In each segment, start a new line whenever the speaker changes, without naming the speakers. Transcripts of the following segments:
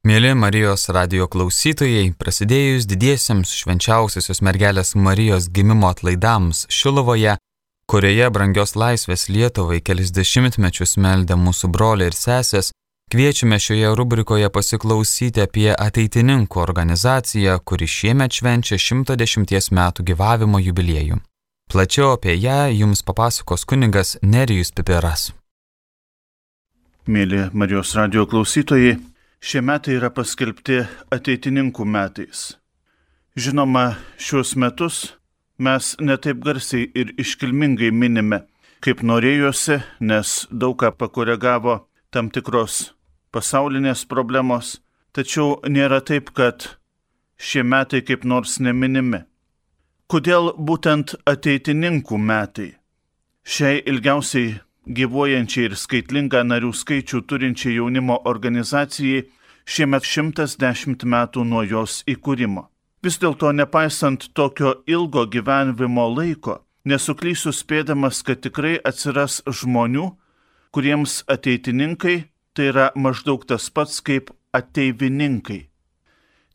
Mėly Marijos radijo klausytojai, prasidėjus didiesiems švenčiausiosios mergelės Marijos gimimo atlaidams Šiluvoje, kurioje brangios laisvės Lietuvai kelis dešimtmečius meldė mūsų broliai ir sesės, kviečiame šioje rubrikoje pasiklausyti apie ateitininkų organizaciją, kuri šiemet švenčia 110 metų gyvavimo jubiliejų. Plačiau apie ją jums papasakos kunigas Nerijus Pipiras.
Mėly Marijos radijo klausytojai, šie metai yra paskelbti ateitininkų metais. Žinoma, šiuos metus mes netaip garsiai ir iškilmingai minime, kaip norėjosi, nes daug ką pakoregavo tam tikros pasaulinės problemos, tačiau nėra taip, kad šie metai kaip nors neminimi. Kodėl būtent ateitininkų metai? Šiai ilgiausiai gyvuojančiai ir skaitlingą narių skaičių turinčiai jaunimo organizacijai šiemet 110 metų nuo jos įkūrimo. Vis dėlto, nepaisant tokio ilgo gyvenimo laiko, nesuklysiu spėdamas, kad tikrai atsiras žmonių, kuriems ateitininkai tai yra maždaug tas pats kaip ateivininkai.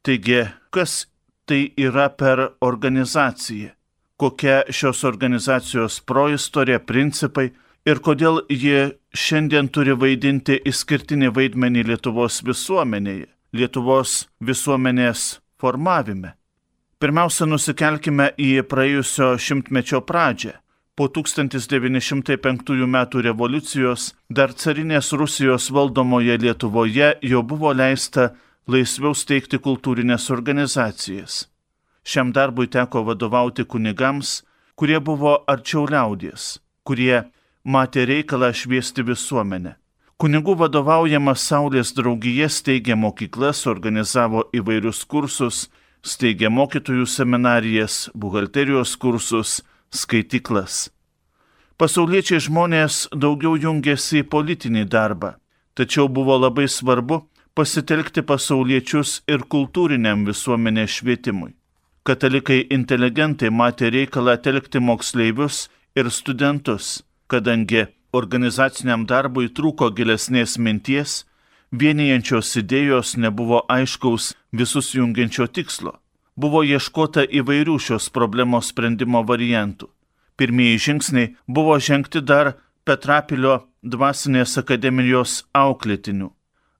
Taigi, kas tai yra per organizacija? Kokia šios organizacijos proistorė, principai ir kodėl ji šiandien turi vaidinti išskirtinį vaidmenį Lietuvos visuomenėje, Lietuvos visuomenės formavime. Pirmiausia, nusikelkime į praėjusio šimtmečio pradžią. Po 1905 metų revoliucijos dar carinės Rusijos valdomoje Lietuvoje jau buvo leista laisviau steigti kultūrinės organizacijas. Šiam darbui teko vadovauti kunigams, kurie buvo arčiau liaudies, kurie matė reikalą šviesti visuomenę. Kunigų vadovaujama Saulės draugija steigė mokyklas, organizavo įvairius kursus, steigė mokytojų seminarijas, buhalterijos kursus, skaityklas. Pasauliečiai žmonės daugiau jungėsi į politinį darbą, tačiau buvo labai svarbu pasitelkti pasauliečius ir kultūriniam visuomenės švietimui. Katalikai inteligentai matė reikalą telkti moksleivius ir studentus, kadangi organizaciniam darbui trūko gilesnės minties, vienijančios idėjos nebuvo aiškaus visus jungiančio tikslo. Buvo ieškota įvairių šios problemos sprendimo variantų. Pirmieji žingsniai buvo žengti dar Petrapilio dvasinės akademijos auklėtinių.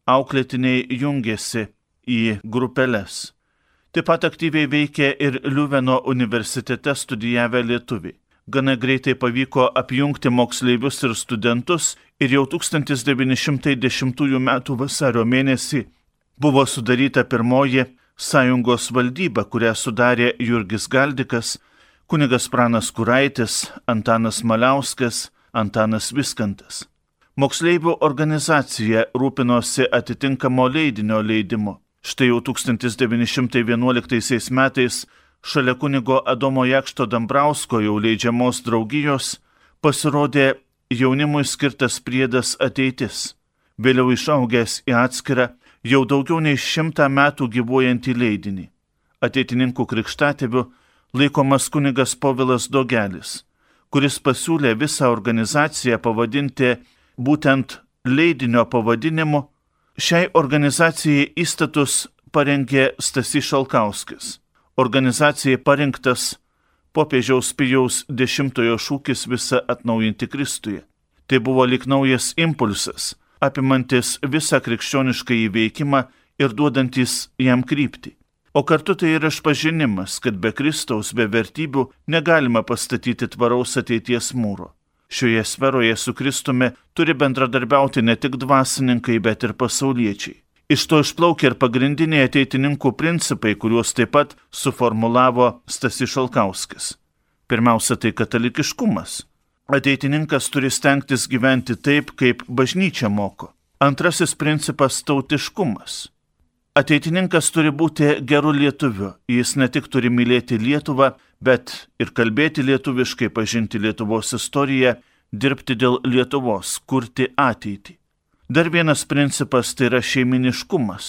Auklėtiniai jungėsi į grupeles. Taip pat aktyviai veikė ir Liuveno universitete studijavę lietuviai. Gana greitai pavyko apjungti moksleivius ir studentus ir jau 1910 m. vasario mėnesį buvo sudaryta pirmoji sąjungos valdyba, kurią sudarė Jurgis Galdikas, kunigas Pranas Kuraitis, Antanas Maliauskas, Antanas Viskantas. Moksleivių organizacija rūpinosi atitinkamo leidinio leidimu. Štai jau 1911 metais šalia kunigo Adomo Jakšto Dambrausko jau leidžiamos draugijos pasirodė jaunimui skirtas priedas Ateitis, vėliau išaugęs į atskirą jau daugiau nei 100 metų gyvuojantį leidinį. Ateitininkų krikštatėviu laikomas kunigas Povilas Dogelis, kuris pasiūlė visą organizaciją pavadinti būtent leidinio pavadinimu. Šiai organizacijai įstatus parengė Stasys Šalkauskis. Organizacijai parinktas popiežiaus Pijaus X šūkis visą atnaujinti Kristuje. Tai buvo lyg naujas impulsas, apimantis visą krikščionišką įveikimą ir duodantis jam kryptį. O kartu tai yra išpažinimas, kad be Kristaus, be vertybių negalima pastatyti tvaraus ateities mūro. Šioje sferoje su Kristumi turi bendradarbiauti ne tik dvasininkai, bet ir pasauliečiai. Iš to išplaukia ir pagrindiniai ateitininkų principai, kuriuos taip pat suformulavo Stasys Šalkauskis. Pirmiausia, tai katalikiškumas. Ateitininkas turi stengtis gyventi taip, kaip bažnyčia moko. Antrasis principas - tautiškumas. Ateitininkas turi būti geru lietuviu. Jis ne tik turi mylėti Lietuvą, bet ir kalbėti lietuviškai, pažinti Lietuvos istoriją, dirbti dėl Lietuvos, kurti ateitį. Dar vienas principas tai yra šeiminiškumas.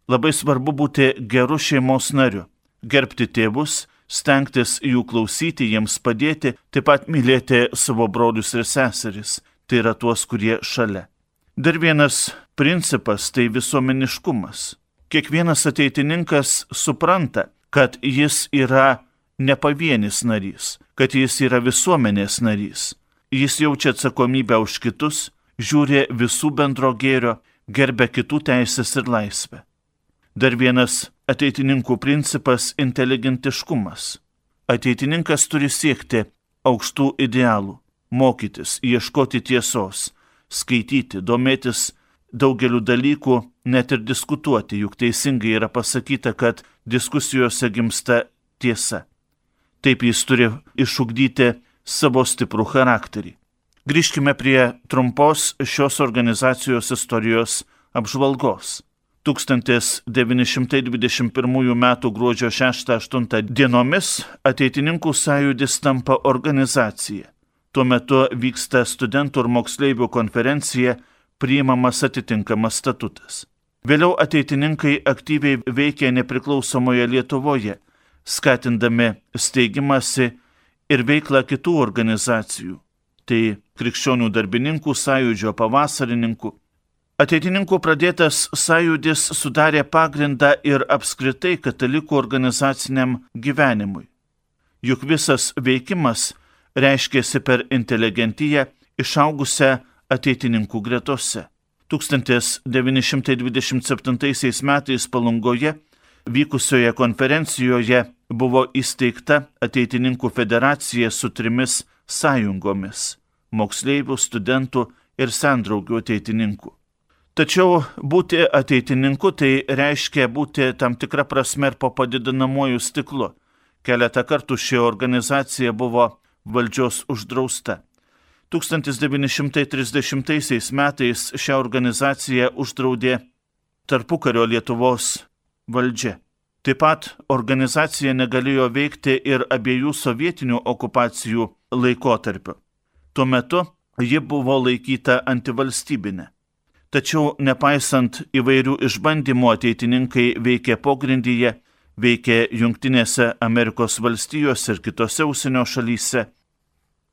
Labai svarbu būti geru šeimos nariu, gerbti tėvus, stengtis jų klausyti, jiems padėti, taip pat mylėti savo brolius ir seseris, tai yra tuos, kurie šalia. Dar vienas principas tai visuomeniškumas. Kiekvienas ateitininkas supranta, kad jis yra ne pavienis narys, kad jis yra visuomenės narys. Jis jaučia atsakomybę už kitus, žiūri visų bendro gėrio, gerbia kitų teisės ir laisvę. Dar vienas ateitininkų principas – inteligentiškumas. Ateitininkas turi siekti aukštų idealų, mokytis, ieškoti tiesos, skaityti, domėtis daugeliu dalykų, net ir diskutuoti, juk teisingai yra pasakyta, kad diskusijose gimsta tiesa. Taip jis turi išugdyti savo stiprų charakterį. Grįžkime prie trumpos šios organizacijos istorijos apžvalgos. 1921 m. gruodžio 6-8 dienomis Ateitininkų sąjūdis tampa organizacija. Tuo metu vyksta studentų ir moksleivių konferencija, priimamas atitinkamas statutas. Vėliau ateitininkai aktyviai veikė nepriklausomoje Lietuvoje, skatindami steigimąsi ir veiklą kitų organizacijų. Tai Krikščionių darbininkų sąjūdžio, Pavasarininkų. Ateitininkų pradėtas sąjūdis sudarė pagrindą ir apskritai katalikų organizaciniam gyvenimui. Juk visas veikimas reiškėsi per inteligentiją išaugusią ateitininkų gretose. 1927 metais Palungoje vykusioje konferencijoje buvo įsteigta Ateitininkų federacija su 3 sąjungomis – moksleivių, studentų ir sendraugių ateitininkų. Tačiau būti ateitininku tai reiškia būti tam tikrą prasme ir po padidinamuoju stiklu. Keletą kartų ši organizacija buvo valdžios uždrausta. 1930 metais šią organizaciją uždraudė tarpukario Lietuvos valdžia. Taip pat organizacija negalėjo veikti ir abiejų sovietinių okupacijų laikotarpiu. Tuo metu ji buvo laikyta antivalstybinė. Tačiau nepaisant įvairių išbandymų ateitininkai veikė pogrindyje, veikė Jungtinėse Amerikos valstijose ir kitose užsienio šalyse.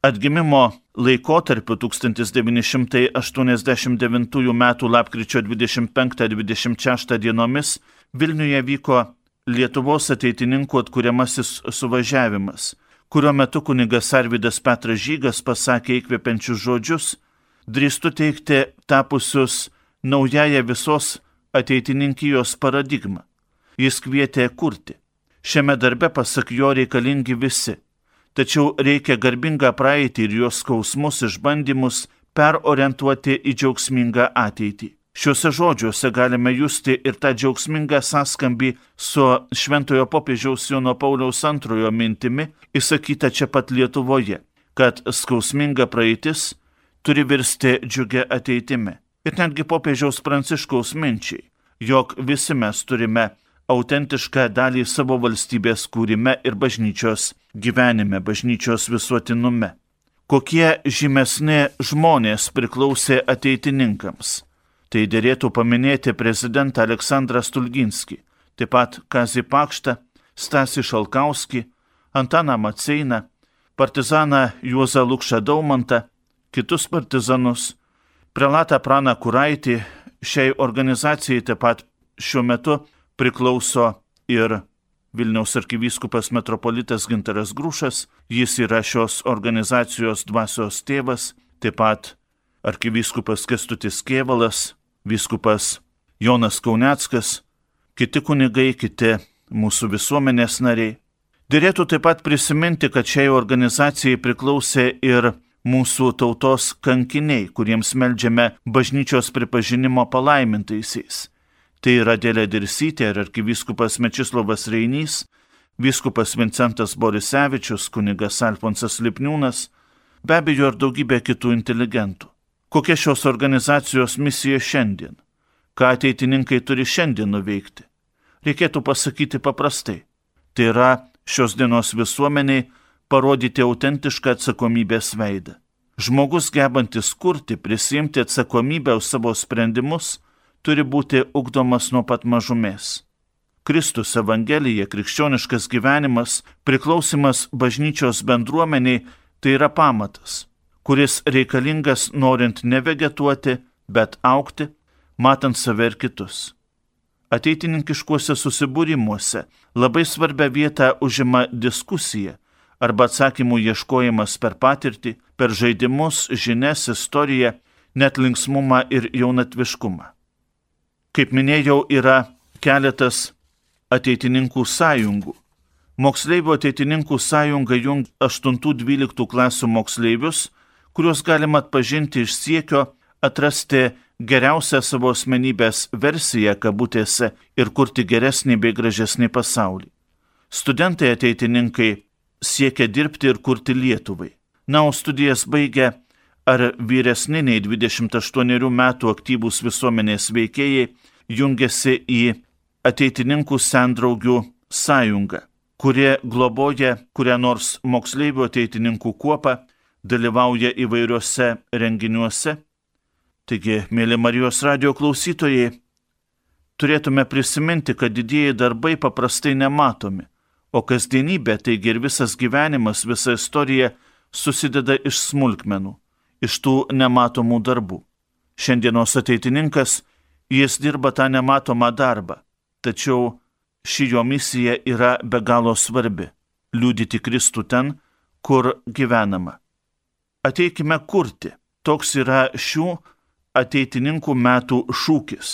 Atgimimo laikotarpiu 1989 m. lapkričio 25-26 dienomis Vilniuje vyko Lietuvos ateitininkų atkuriamasis suvažiavimas, kurio metu kunigas Arvydas Petras Žygas pasakė įkvepiančius žodžius, drįstu teigti tapusius naująją visos ateitininkijos paradigmą. Jis kvietė kurti. Šiame darbe, pasak jo, reikalingi visi. Tačiau reikia garbingą praeitį ir jos skausmus išbandymus perorientuoti į džiaugsmingą ateitį. Šiuose žodžiuose galime justi ir tą džiaugsmingą sąskambį su šventojo popiežiaus Jono Pauliaus II mintimi, įsakyta čia pat Lietuvoje, kad skausminga praeitis turi virsti džiugia ateitimi. Ir netgi popiežiaus Pranciškaus minčiai, jog visi mes turime autentišką dalį savo valstybės kūrime ir bažnyčios gyvenime, bažnyčios visuotinume. Kokie žymesni žmonės priklausė ateitininkams? Tai dėrėtų paminėti prezidentą Aleksandrą Stulginskį, taip pat Kazį Pakštą, Stasį Šalkauskį, Antaną Maceiną, partizaną Juozą Lukšą Daumantą, kitus partizanus, prelatą Praną Kuraitį. Šiai organizacijai taip pat šiuo metu priklauso ir Vilniaus arkivyskupas metropolitas Gintaras Grušas, jis yra šios organizacijos dvasios tėvas, taip pat arkivyskupas Kęstutis Kėvalas, vyskupas Jonas Kauneckas, kiti kunigai, kiti mūsų visuomenės nariai. Dėrėtų taip pat prisiminti, kad šiai organizacijai priklausė ir mūsų tautos kankiniai, kuriems meldžiame bažnyčios pripažinimo palaimintaisiais. Tai yra Adelė Dirsytė ir arkivyskupas Mečislovas Reinys, vyskupas Vincentas Borisevičius, kunigas Alfonsas Lipniūnas, be abejo ir daugybė kitų inteligentų. Kokia šios organizacijos misija šiandien? Ką ateitininkai turi šiandien nuveikti? Reikėtų pasakyti paprastai. Tai yra šios dienos visuomeniai parodyti autentišką atsakomybės veidą. Žmogus gebantis kurti, prisiimti atsakomybę už savo sprendimus, turi būti ugdomas nuo pat mažumės. Kristus, Evangelija, krikščioniškas gyvenimas, priklausimas bažnyčios bendruomeniai – tai yra pamatas, kuris reikalingas norint ne vegetuoti, bet augti, matant save ir kitus. Ateitininkiškuose susibūrimuose labai svarbią vietą užima diskusija arba atsakymų ieškojimas per patirtį, per žaidimus, žinias, istoriją, net linksmumą ir jaunatviškumą. Kaip minėjau, yra keletas ateitininkų sąjungų. Moksleivių ateitininkų sąjunga jungia 8-12 klasių moksleivius, kuriuos galima atpažinti iš siekio atrasti geriausią savo asmenybės versiją kabutėse ir kurti geresnį bei gražesnį pasaulį. Studentai ateitininkai siekia dirbti ir kurti Lietuvai. Na, o studijas baigę ar vyresni nei 28 metų aktyvūs visuomenės veikėjai jungiasi į ateitininkų sendraugių sąjungą, kurie globoja kurią nors moksleivių ateitininkų kuopą, dalyvauja įvairiuose renginiuose. Taigi, mėly Marijos radijo klausytojai, turėtume prisiminti, kad didieji darbai paprastai nematomi, o kasdienybė, taigi ir visas gyvenimas, visa istorija susideda iš smulkmenų, iš tų nematomų darbų. Šiandienos ateitininkas, jis dirba tą nematomą darbą, tačiau ši jo misija yra be galo svarbi – liudyti Kristų ten, kur gyvenama. Ateikime kurti. Toks yra šių ateitininkų metų šūkis.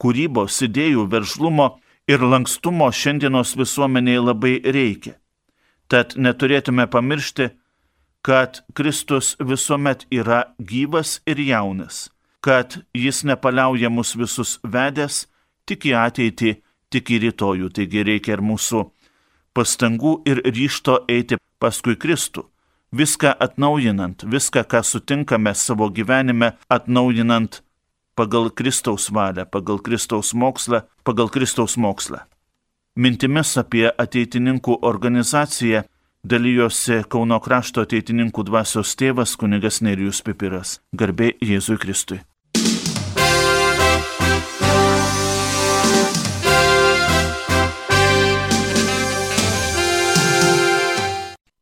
Kūrybos, idėjų, veržlumo ir lankstumo šiandienos visuomenėje labai reikia. Tad neturėtume pamiršti, kad Kristus visuomet yra gyvas ir jaunas, kad jis nepaliauja mus visus vedęs tik į ateitį, tik į rytojų. Taigi reikia ir mūsų pastangų ir ryžto eiti paskui Kristų. Viską atnaujinant, viską, ką sutinkame savo gyvenime, atnaujinant pagal Kristaus valią, pagal Kristaus mokslą. Mintimis apie ateitininkų organizaciją dalijosi Kauno krašto ateitininkų dvasios tėvas kunigas Nerijus Pipiras. Garbė Jėzui Kristui.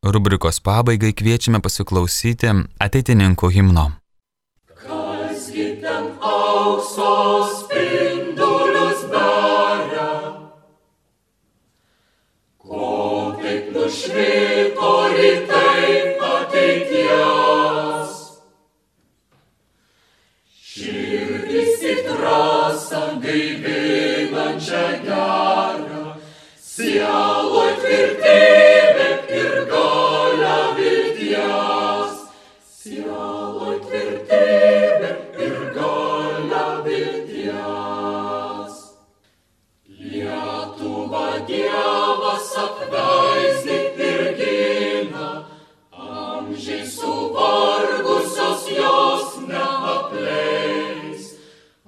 Rubrikos pabaigai kviečiame pasiklausyti ateitininkų himno.
Kasgi ten aukso spindulius beria, ko taip nušvito rytai ateities. Širdis į trasą gaivinančią gerą, sieloj tvirtybė ir galia vilties. Sieloj tvirtybė ir galia vilties. Lietuva Dievas apvaizdi ir gina, amžiai suvargusios jos neapleis.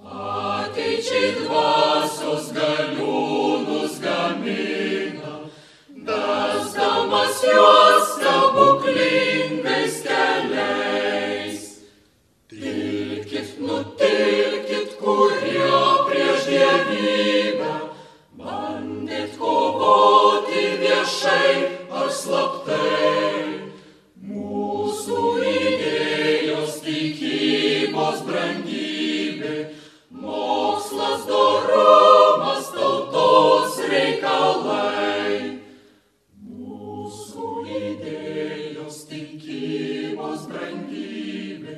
Ateičiai dvasios galiūnus gamina, vesdamas juos stebuklingais keliais. Tilkit, nutilkit, kurie prieš dievybę bandėt kovoti viešai ar slaptai. Mūsų idėjos, tikybos brangybė, mokslas, dorumas, tautos reikalai. Mūsų idėjos, tikybos brangybė,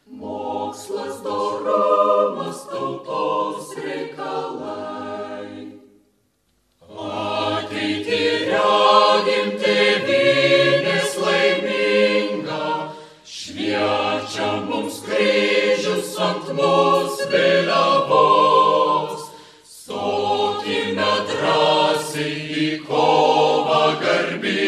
mokslas, dorumas, tautos reikalai. Ateitį regim tėvynės laimingą, šviečia mums kryžius ant mūsų vėliavos. Stokime drąsiai į kovą garbingą.